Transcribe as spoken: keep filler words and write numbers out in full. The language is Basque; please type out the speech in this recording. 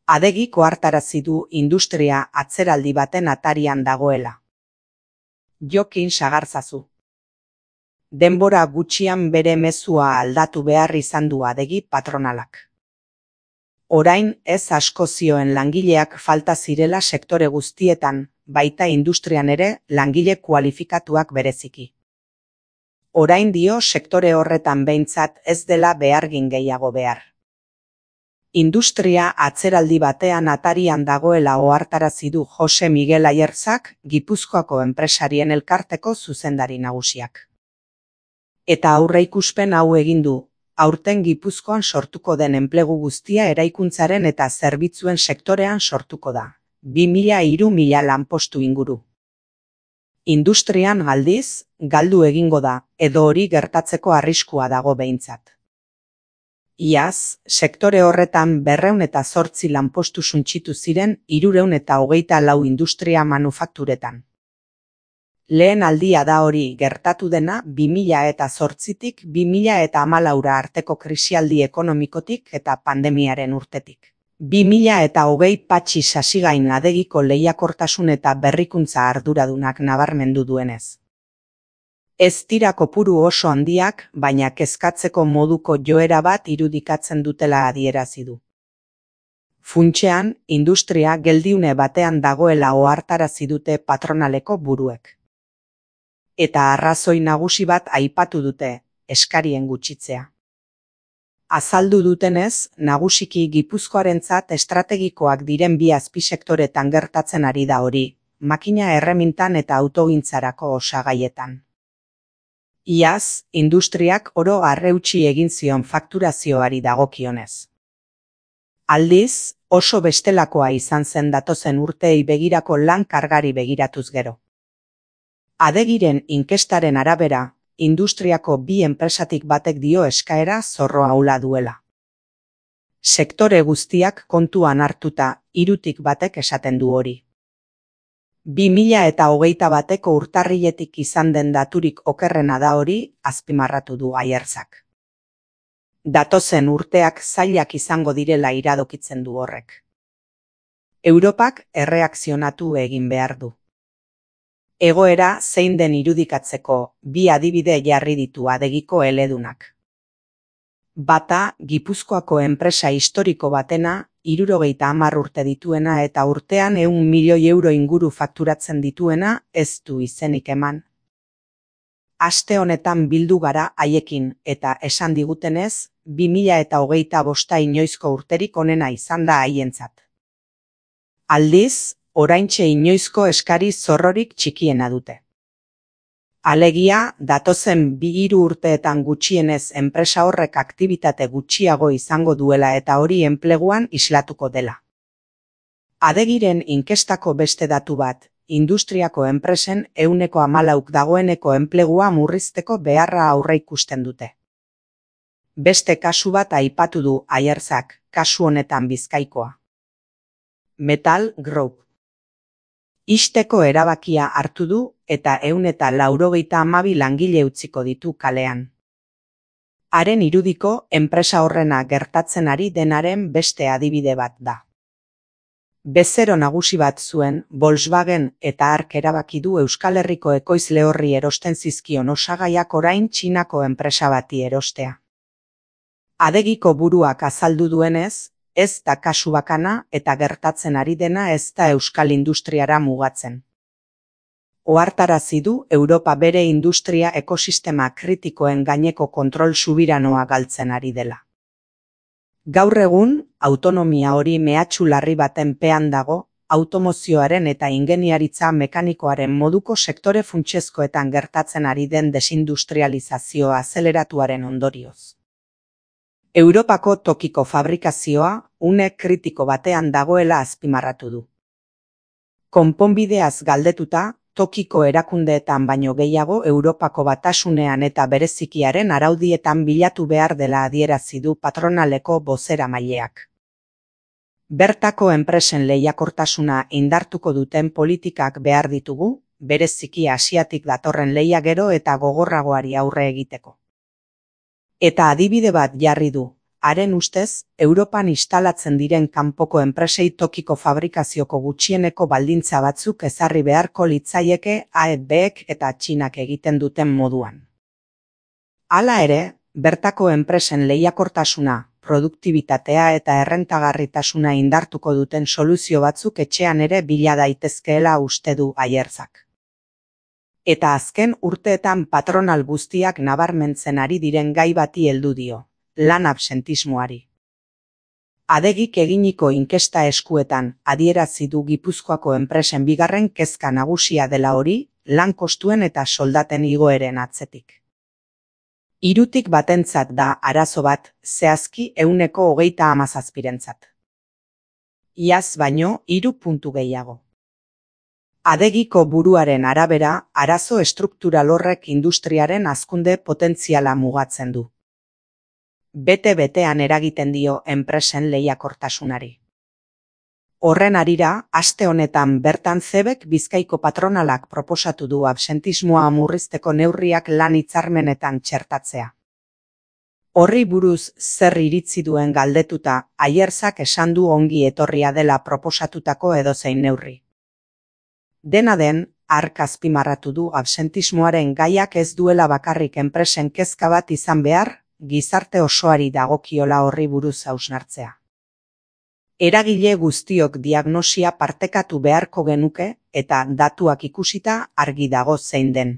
Adegik ohartarazi du industria atzeraldi baten atarian dagoela. Jokin sagarzazu. Denbora gutxian bere mezua aldatu behar izan du Adegi patronalak. Orain ez asko zioen langileak falta zirela sektore guztietan, baita industrian ere langile kualifikatuak bereziki. Orain dio sektore horretan behintzat ez dela behargin gehiago behar. Industria atzeraldi batean atarian dagoela ohartarazi du Jose Miguel Aierzak, Gipuzkoako enpresarien elkarteko zuzendari nagusiak. Eta aurreikuspen hau egin du, aurten Gipuzkoan sortuko den enplegu guztia eraikuntzaren eta zerbitzuen sektorean sortuko da, bi mila hiru mila lanpostu inguru. Industrian aldiz, galdu egingo da, edo hori gertatzeko arriskua dago behintzat. Iaz, sektore horretan berrehun eta zortzi lanpostu suntsitu ziren hirurehun eta hogeita lau industria manufakturetan. Lehen aldia da hori gertatu dena bi mila eta zortzitik bi mila eta hamalaura arteko krisialdi ekonomikotik eta pandemiaren urtetik. bi mila eta hogei Patxi Sasigain Adegiko lehiakortasun eta berrikuntza arduradunak nabarmendu duenez. Ez dira kopuru oso handiak, baina kezkatzeko moduko joera bat irudikatzen dutela adierazi du. Funtsean, industria geldiune batean dagoela ohartarazi dute patronaleko buruek. Eta arrazoi nagusi bat aipatu dute, eskarien gutxitzea. Azaldu dutenez, nagusiki Gipuzkoarentzat estrategikoak diren bi azpisektoretan gertatzen ari da hori, makina erremintan eta autogintzarako osagaietan. Iaz, industriak oro arreutsi egin zion fakturazioari dagokionez. Aldiz, oso bestelakoa izan zen datozen urteei begirako lan kargari begiratuz gero. Adegiren inkestaren arabera, industriako bi enpresatik batek dio eskaera zorro ahula duela. Sektore guztiak kontuan hartuta, hirutik batek esaten du hori. bi mila eta hogeita bateko urtarriletik izan den daturik okerrena da hori, azpimarratu du Aierzak. Datozen urteak zailak izango direla iradokitzen du horrek. Europak erreakzionatu egin behar du. Egoera zein den irudikatzeko bi adibide jarri ditu Adegiko eledunak. Bata, Gipuzkoako enpresa historiko batena, hirurogeita hamar urte dituena eta urtean ehun milioi euro inguru fakturatzen dituena, ez du izenik eman. Aste honetan bildu gara haiekin eta esan digutenez, bi mila eta hogeita bosta inoizko urterik onena izan da haientzat. Aldiz, oraintxe inoizko eskari zorrorik txikiena dute. Alegia, datozen bi hiru urteetan gutxienez enpresa horrek aktibitate gutxiago izango duela eta hori enpleguan islatuko dela. Adegiren inkestako beste datu bat, industriako enpresen ehuneko hamalauk dagoeneko enplegua murrizteko beharra aurreikusten dute. Beste kasu bat aipatu du Aierzak, kasu honetan Bizkaikoa. Metal Group. Ixteko erabakia hartu du eta ehun eta laurogeita hamabi langile utziko ditu kalean. Haren irudiko enpresa horrena gertatzen ari denaren beste adibide bat da. Bezero nagusi bat zuen, Volkswagen eta hark erabaki du Euskal Herriko ekoizle horri erosten zizkion osagaiak orain Txinako enpresa bati erostea. Adegiko buruak azaldu duenez, ez da kasu bakana eta gertatzen ari dena ez da euskal industriara mugatzen. Ohartarazi du Europa bere industria ekosistema kritikoen gaineko kontrol subiranoa galtzen ari dela. Gaur egun, autonomia hori mehatxu larri baten pean dago, automozioaren eta ingeniaritza mekanikoaren moduko sektore funtsezkoetan gertatzen ari den desindustrializazio azeleratuaren ondorioz. Europako tokiko fabrikazioa une kritiko batean dagoela azpimarratu du. Konponbideaz galdetuta, tokiko erakundeetan baino gehiago Europako Batasunean eta berezikiaren araudietan bilatu behar dela adierazi du patronaleko bozeramaileak. Bertako enpresen lehiakortasuna indartuko duten politikak behar ditugu, bereziki Asiatik datorren lehia gero eta gogorragoari aurre egiteko. Eta adibide bat jarri du, haren ustez, Europan instalatzen diren kanpoko enpresei tokiko fabrikazioko gutxieneko baldintza batzuk ezarri beharko litzaieke A E Bek eta Txinak egiten duten moduan. Hala ere, bertako enpresen lehiakortasuna, produktibitatea eta errentagarritasuna indartuko duten soluzio batzuk etxean ere bila daitezkeela uste du Ayerzak. Eta azken urteetan patronal guztiak nabarmentzen ari diren gai bati heldu dio, lan absentismoari. Adegik eginiko inkesta eskuetan adierazi du Gipuzkoako enpresen bigarren kezka nagusia dela hori, lan kostuen eta soldaten igoeren atzetik. Hirutik batentzat da arazo bat, zehazki ehuneko hogeita hamazazpirentzat. Iaz baino hiru puntu gehiago. Adegiko buruaren arabera, arazo estruktural horrek industriaren hazkunde potentziala mugatzen du. Bete-betean eragiten dio enpresen lehiakortasunari. Horren harira, aste honetan bertan Cebek Bizkaiko patronalak proposatu du absentismoa murrizteko neurriak lan hitzarmenetan txertatzea. Horri buruz zer iritzi duen galdetuta, Ayerzak esan du ongi etorria dela proposatutako edozein neurri. Dena den, hark azpimarratu du absentismoaren gaiak ez duela bakarrik enpresen kezka bat izan behar, gizarte osoari dagokiola horri buruz hausnartzea. Eragile guztiok diagnosia partekatu beharko genuke eta datuak ikusita argi dago zein den.